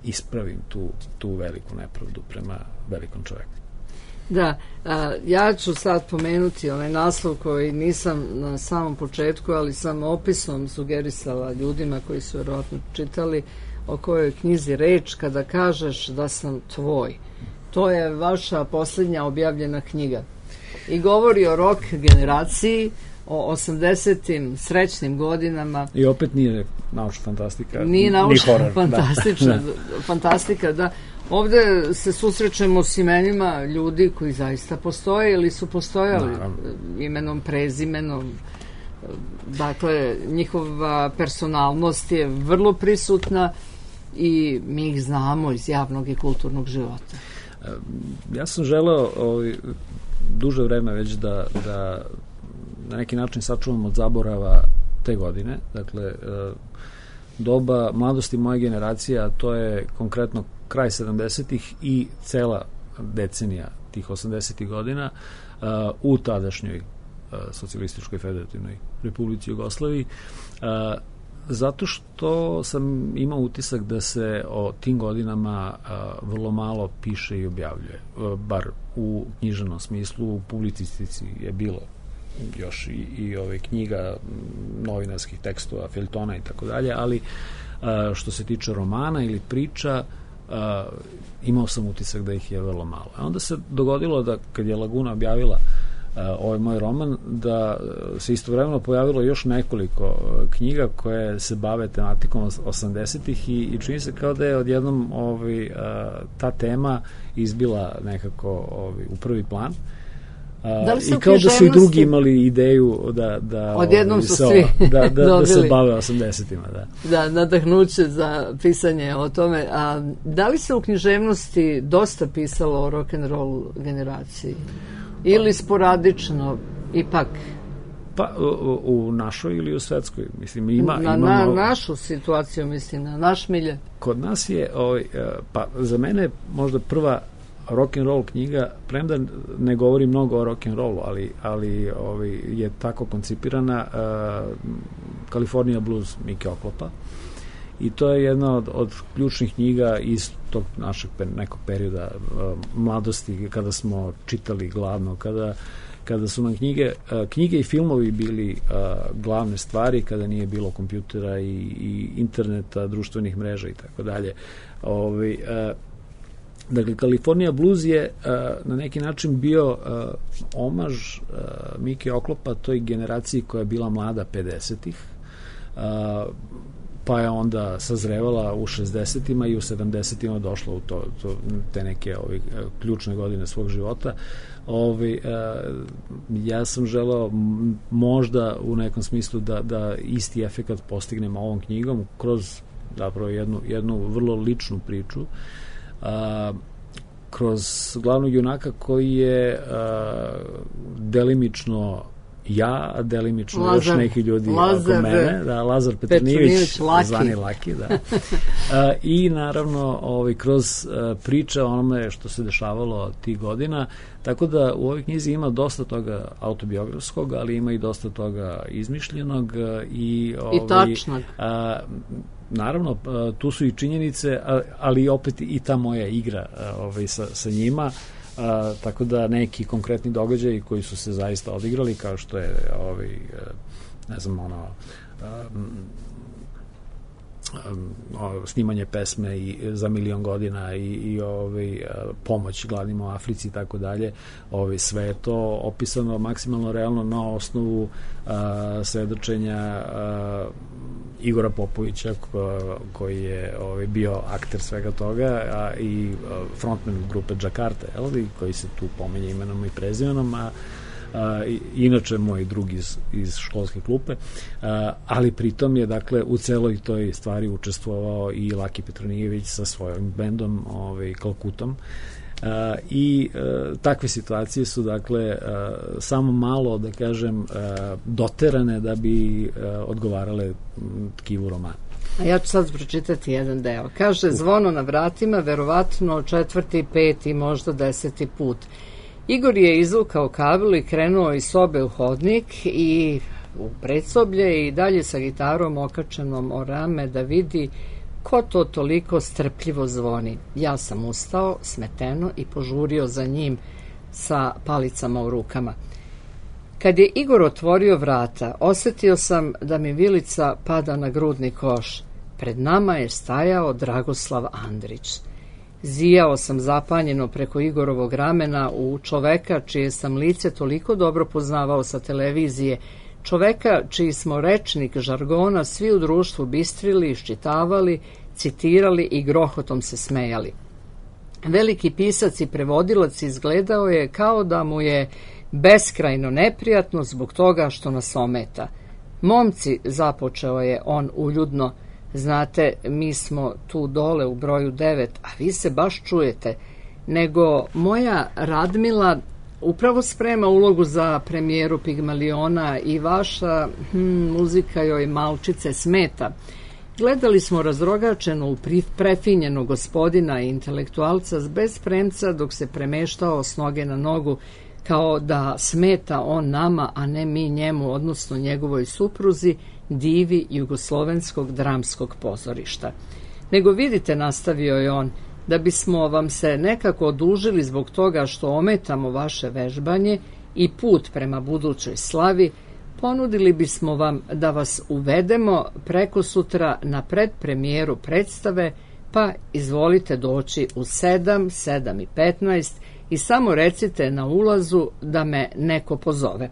ispravim tu, tu veliku nepravdu prema velikom čoveku. Da, a, ja ću sad pomenuti onaj naslov koji nisam na samom početku, ali sam opisom sugerisala ljudima koji su vjerojatno čitali o kojoj knjizi reč kada kažeš da sam tvoj. To je vaša posljednja objavljena knjiga i govori o rock generaciji, o osamdesetim srećnim godinama. I opet nije naučna fantastika. Nije naučna fantastična, da. fantastika, da. Ovde se susrećemo s imenima ljudi koji zaista postoje ili su postojali. Naravno. Imenom, prezimenom. Dakle, njihova personalnost je vrlo prisutna i mi ih znamo iz javnog i kulturnog života. Ja sam želeo ovaj, duže vreme već da, da na neki način sačuvam od zaborava te godine. Dakle, doba mladosti moje generacije, a to je konkretno kraj sedamdesetih i cela decenija tih osamdesetih godina u tadašnjoj socijalističkoj federativnoj Republici Jugoslaviji, zato što sam imao utisak da se o tim godinama vrlo malo piše i objavljuje, bar u književnom smislu. U publicistici je bilo još i, i ove knjiga, novinarskih tekstova, feljtona i tako dalje, ali što se tiče romana ili priča, imao sam utisak da ih je vrlo malo. A onda se dogodilo da kad je Laguna objavila ovaj moj roman, da se istovremeno pojavilo još nekoliko knjiga koje se bave tematikom osamdesetih i, i čini se kao da je odjednom ovaj, ta tema izbila nekako ovaj, u prvi plan. Da I kao da su i drugi imali ideju da, da, odjednom su sa, svi da, da, da se bave osamdesetima. Da. Da, nadahnuće za pisanje o tome. A da li se u književnosti dosta pisalo o rock'n'roll generaciji? Ili sporadično, ipak? Pa, u, u našoj ili u svetskoj? Mislim, ima, na, imamo, na našu situaciju, mislim, na naš milje. Kod nas je, ovaj, pa za mene možda prva rock'n'roll knjiga, premda ne govori mnogo o rock'n'rollu, ali, ali ovaj, je tako koncipirana, uh, California Blues Mike Oklopa. I to je jedna od, od ključnih knjiga iz tog našeg per, nekog perioda uh, mladosti, kada smo čitali glavno, kada, kada su nam knjige, uh, knjige i filmovi bili uh, glavne stvari, kada nije bilo kompjutera i, i interneta, društvenih mreža i tako dalje. Ovaj, uh, Dakle, California Blues je uh, na neki način bio uh, omaž uh, Mike Oklopa toj generaciji koja je bila mlada pedesetih, uh, pa je onda sazrevala u šezdesetima i u sedamdesetima došla u to, to, te neke ovi, ključne godine svog života. Ovi, uh, ja sam želeo možda u nekom smislu da, da isti efekat postignem ovom knjigom kroz zapravo jednu, jednu vrlo ličnu priču, A, kroz glavnog junaka koji je a, delimično ja, a delimično Lazar, još neki ljudi Lazar, oko mene, da, Lazar Petronijević, zvani Laki, da. A, i naravno ovaj, kroz a, priče o onome što se dešavalo tih godina, tako da u ovoj knjizi ima dosta toga autobiografskog, ali ima i dosta toga izmišljenog i, ovaj, i tačnog. A, naravno, tu su i činjenice, ali opet i ta moja igra ovaj, sa, sa njima, a, tako da neki konkretni događaji koji su se zaista odigrali, kao što je ovaj, ne znam, ono a, snimanje pesme i za milion godina i, i ovaj, pomoć gladnima u Africi i tako dalje, ovaj, sve je to opisano maksimalno realno na osnovu a, svedočenja a, Igora Popovića ko, koji je ovaj, bio akter svega toga, a i frontman grupe Džakarta, koji se tu pomenje imenom i prezimenom, a, a inače moj drug iz, iz školske klupe, a, ali pritom je dakle u celoj toj stvari učestvovao i Laki Petronijević sa svojim bendom ovaj, Kalkutom. Uh, i uh, takve situacije su dakle uh, samo malo, da kažem, uh, doterane da bi uh, odgovarale tkivu romana. A ja ću sad pročitati jedan deo. Kaže, zvono na vratima, verovatno četvrti, peti, možda deseti put. Igor je izvukao kabel i krenuo iz sobe u hodnik i u predsoblje i dalje sa gitarom okačenom o rame da vidi ko to toliko strpljivo zvoni. Ja sam ustao, smeteno, i požurio za njim sa palicama u rukama. Kad je Igor otvorio vrata, osetio sam da mi vilica pada na grudni koš. Pred nama je stajao Dragoslav Andrić. Zijao sam zapanjeno preko Igorovog ramena u čoveka čije sam lice toliko dobro poznavao sa televizije, čoveka čiji smo rečnik žargona svi u društvu bistrili, iščitavali, citirali i grohotom se smejali. Veliki pisac i prevodilac izgledao je kao da mu je beskrajno neprijatno zbog toga što nas ometa. Momci, započeo je on uljudno, znate, mi smo tu dole u broju devet, a vi se baš čujete, nego moja Radmila upravo sprema ulogu za premijeru Pigmaliona i vaša hm, muzika joj malčice smeta. Gledali smo razrogačeno u prefinjeno gospodina i intelektualca bez premca dok se premeštao s noge na nogu, kao da smeta on nama, a ne mi njemu, odnosno njegovoj supruzi, divi jugoslovenskog dramskog pozorišta. Nego vidite, nastavio je on, da bismo vam se nekako odužili zbog toga što ometamo vaše vežbanje i put prema budućoj slavi, ponudili bismo vam da vas uvedemo preko sutra na predpremijeru predstave, pa izvolite doći u sedam, sedam i petnaest i samo recite na ulazu da me neko pozove.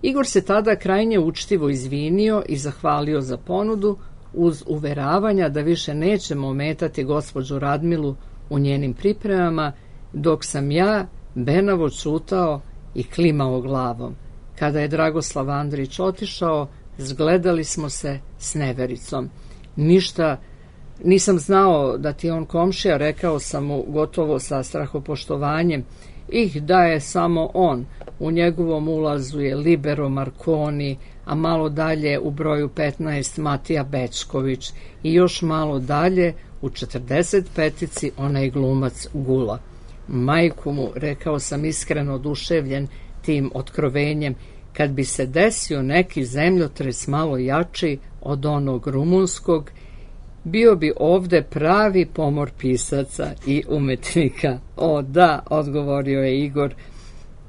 Igor se tada krajnje učtivo izvinio i zahvalio za ponudu, uz uveravanja da više nećemo ometati gospođu Radmilu u njenim pripremama, dok sam ja benavo čutao i klimao glavom. Kada je Dragoslav Andrić otišao, zgledali smo se s nevericom. Ništa nisam znao da ti on komšija, rekao sam mu gotovo sa strahopoštovanjem. Ih da je samo on, u njegovom ulazu je Libero Marconi, a malo dalje u broju petnaest Matija Bečković i još malo dalje u četrdeset petici onaj glumac Gula. Majku mu, rekao sam iskreno oduševljen tim otkrovenjem, kad bi se desio neki zemljotres malo jači od onog rumunskog, bio bi ovde pravi pomor pisaca i umetnika. O da, odgovorio je Igor,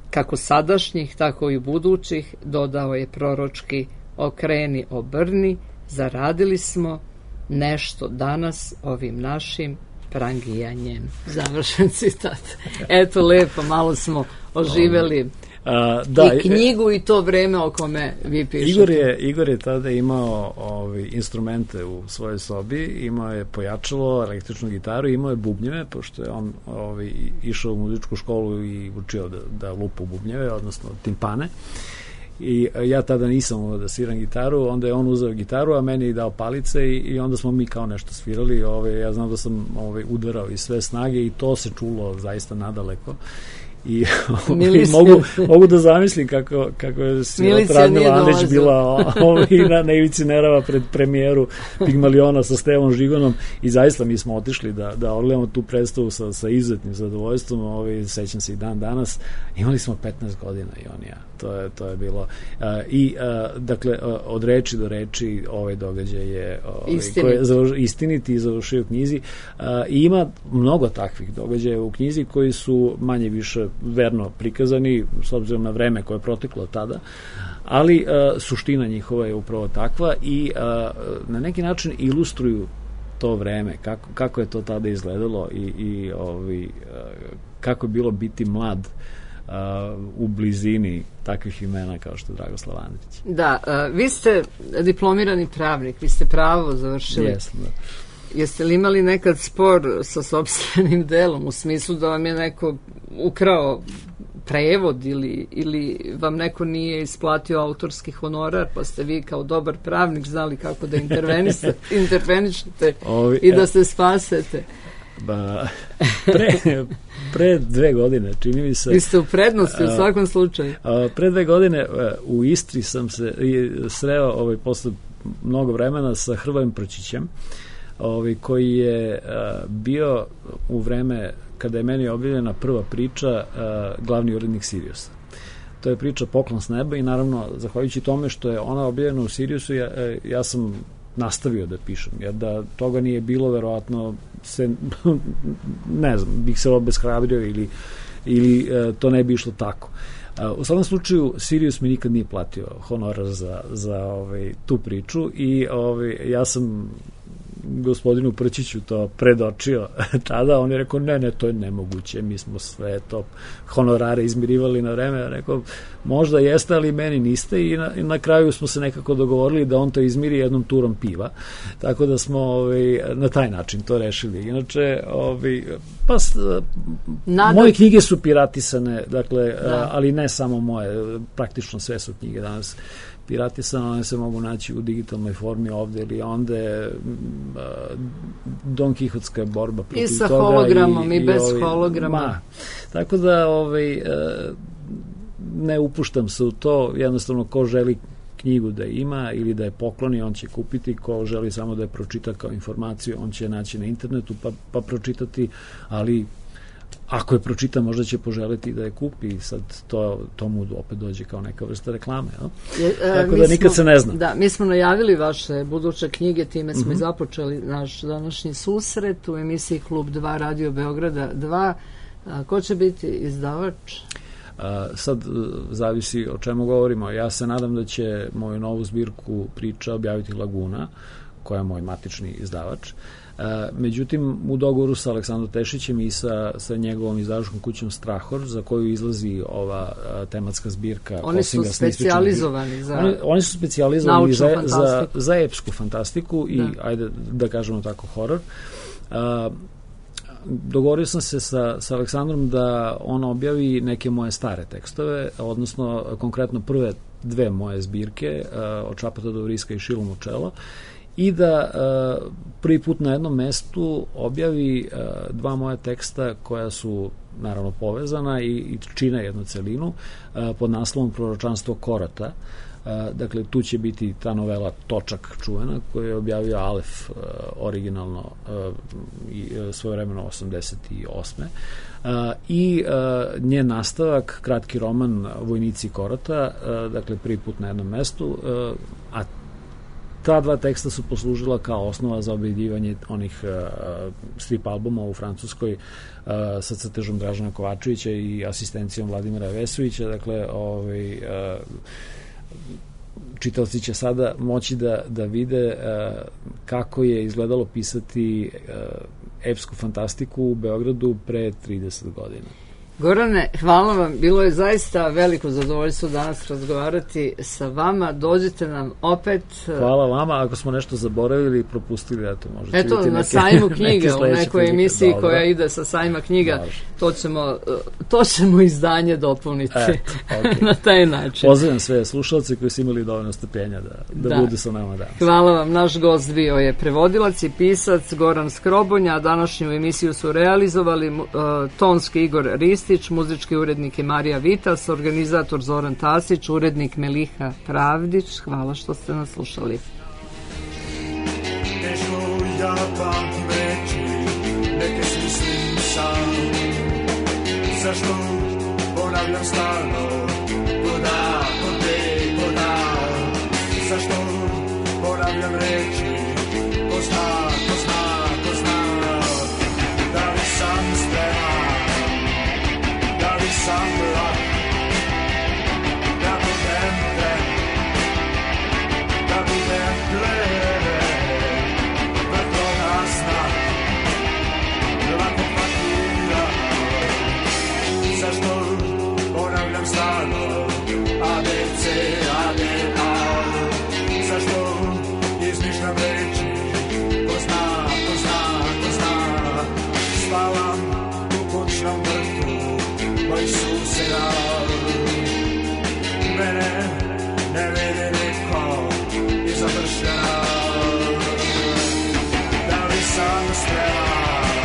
kako sadašnjih, tako i budućih, dodao je proročki, okreni, obrni, zaradili smo nešto danas ovim našim prangijanjem. Završen citat. Eto, lepo, malo smo oživeli A, da, i knjigu i to vreme o kome vi pišete. Igor je, Igor je tada imao ovi, instrumente u svojoj sobi, imao je pojačalo, električnu gitaru, imao je bubnjeve, pošto je on ovi, išao u muzičku školu i učio da, da lupa bubnjeve, odnosno timpane. I ja tada nisam umeo da sviram gitaru, onda je on uzeo gitaru, a meni je dao palice i, i onda smo mi kao nešto svirali. Ove, ja znam da sam ove, udarao iz sve snage i to se čulo zaista nadaleko. I mogu, mogu da zamislim kako, kako je Radmila Andrić bila i na, na ivici nerava pred premijeru Pigmaliona sa Stevom Žigonom i zaista mi smo otišli da, da odgledamo tu predstavu sa, sa izuzetnim zadovoljstvom. Ovaj, sećam se i dan danas, imali smo petnaest godina i on i ja, to je, to je bilo uh, i uh, dakle uh, od reči do reči ovaj događaj je ovaj, koji je završ, istiniti i završio u knjizi uh, i ima mnogo takvih događaja u knjizi koji su manje više verno prikazani s obzirom na vreme koje je proteklo tada, ali uh, suština njihova je upravo takva i uh, na neki način ilustruju to vreme, kako, kako je to tada izgledalo i, i ovi, uh, kako je bilo biti mlad uh, u blizini takvih imena kao što je Dragoslav Andrić. Da, uh, vi ste diplomirani pravnik, vi ste pravo završili. Jesam, da. Jeste li imali nekad spor sa sopstvenim delom, u smislu da vam je neko ukrao prevod ili, ili vam neko nije isplatio autorski honorar, pa ste vi kao dobar pravnik znali kako da intervenišete Ovi, i da se spasete? Ba, pre, pre dve godine, čini mi se... Vi ste u prednosti, u svakom slučaju. A, pre dve godine u Istri sam se sreo ovaj, posle mnogo vremena sa Hrvojem Prčićem, Ovi, koji je uh, bio u vreme kada je meni objavljena prva priča uh, glavni urednik Siriusa. To je priča Poklon s neba i naravno, zahvaljujući tome što je ona objavljena u Siriusu, ja, ja sam nastavio da pišem, jer da toga nije bilo, verovatno se, ne znam, bih se obeshrabrio ili, ili uh, to ne bi išlo tako. Uh, u svakom slučaju, Sirius mi nikad nije platio honorar za, za ovaj, tu priču i ovaj, ja sam gospodinu Prčiću to predočio tada, on je rekao ne, ne, to je nemoguće, mi smo sve to honorare izmirivali na vreme, ja rekao možda jeste, ali meni niste i na, i na kraju smo se nekako dogovorili da on to izmiri jednom turom piva, tako da smo ovaj, na taj način to rešili. Inače, ovaj, pa Nadam. moje knjige su piratisane, dakle, da. ali ne samo moje, praktično sve su knjige danas piratisane, one se mogu naći u digitalnoj formi ovde ili onde. Don Kihotska borba protiv toga. I sa toga hologramom i, i bez ovi, holograma. Ma, tako da ovaj, ne upuštam se u to, jednostavno ko želi knjigu da ima ili da je pokloni, on će kupiti, ko želi samo da je pročita kao informaciju, on će naći na internetu pa, pa pročitati, ali ako je pročita, možda će poželiti da je kupi, sad to, to mu opet dođe kao neka vrsta reklame. No? Je, e, tako da nikad smo, se ne zna. Da, mi smo najavili vaše buduće knjige, time smo mm-hmm. i započeli naš današnji susret u emisiji Klub dva Radio Beograda dva. A, ko će biti izdavač? A, sad zavisi o čemu govorimo. Ja se nadam da će moju novu zbirku priča objaviti Laguna, koja je moj matični izdavač. Međutim, u dogovoru sa Aleksandrom Tešićem i sa, sa njegovom izdavačkom kućom Strahor, za koju izlazi ova a, tematska zbirka. Oni su specijalizovani za oni, oni su specijalizovani za, za, za epsku fantastiku i, da. ajde da kažemo tako, horor. A, dogovorio sam se sa, sa Aleksandrom da on objavi neke moje stare tekstove, odnosno konkretno prve dve moje zbirke, a, od Čapata do Vriska i Šilom u čelo, i da uh, prvi put na jednom mestu objavi uh, dva moja teksta koja su naravno povezana i, i čine jednu celinu uh, pod naslovom Proročanstvo Korata. Uh, dakle, tu će biti ta novela Točak čuvena koju je objavio Alef uh, originalno uh, i uh, svojevremeno osamdeset osme. Uh, i uh, njen nastavak, kratki roman Vojnici Korata, uh, dakle prvi put na jednom mestu, uh, a ta dva teksta su poslužila kao osnova za objavljivanje onih uh, strip albuma u Francuskoj uh, sa crtežom Dražana Kovačevića i asistencijom Vladimira Vesovića. Dakle, ovaj, uh, čitaoci će sada moći da, da vide uh, kako je izgledalo pisati uh, epsku fantastiku u Beogradu pre trideset godina. Gorane, hvala vam. Bilo je zaista veliko zadovoljstvo danas razgovarati sa vama. Dođite nam opet. Hvala vama. Ako smo nešto zaboravili, propustili, eto, možete eto, vidjeti na neke, sajmu knjiga, u nekoj emisiji dobro. Koja ide sa sajma knjiga, to ćemo, to ćemo izdanje dopuniti eto, okay. na taj način. Pozdravljam sve slušalce koji su imali dovoljno strpljenja da, da, da budu sa nama danas. Hvala vam. Naš gost bio je prevodilac i pisac Goran Skrobonja. Današnju emisiju su realizovali uh, tonski Igor Ristić, muzički urednik je Marija Vitas, organizator Zoran Tasić, urednik Meliha Pravdić. Hvala što ste nas slušali. Nešto ja pamtim reći, neke smislim sam. Zašto ponavljam stalno, voda, vode, voda. Zašto ponavljam reći, ko zna, ko zna, ko zna. Da li sam spreman, da li sam lak, da budem tren, da budem plen, vrhovna sna, lako pakira. Zašto ponavljam stalno, A, B, C, A, D, A. Zašto izmišljam reči, ko zna, ko zna, ko zna. Spavam u kućnom vrtu moj suseda, mene ne vede niko i završena. Da li sam spreman,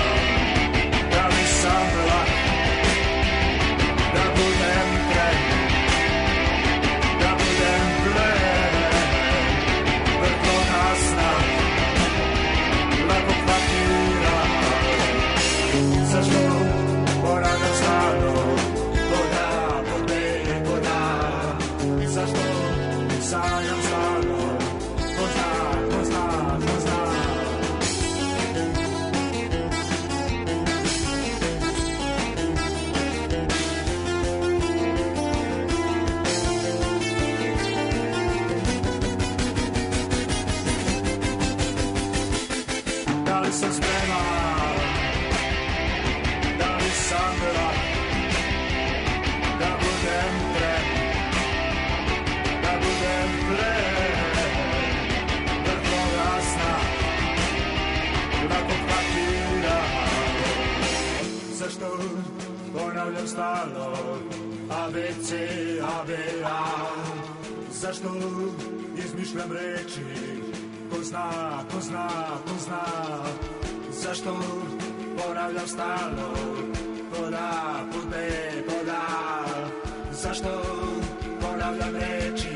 da li sam lak, da budem tren, da budem plen, vrhovna sna, lako pakira. Zašto ponavljam stalno, voda, vode, voda. Zašto sanjam stalno, ko zna, ko zna, ko zna. Da li sam spreman, da li sam lak, da budem tren, da budem plen, vrhovna sna, lako pakira. Zašto ponavljam stalno, A, B, C, A, B, A. Zašto izmišljam reči? Ko zna, ko zna, ko zna. Zašto ponavljam stalno? Poda, pude, poda. Zašto ponavljam reči?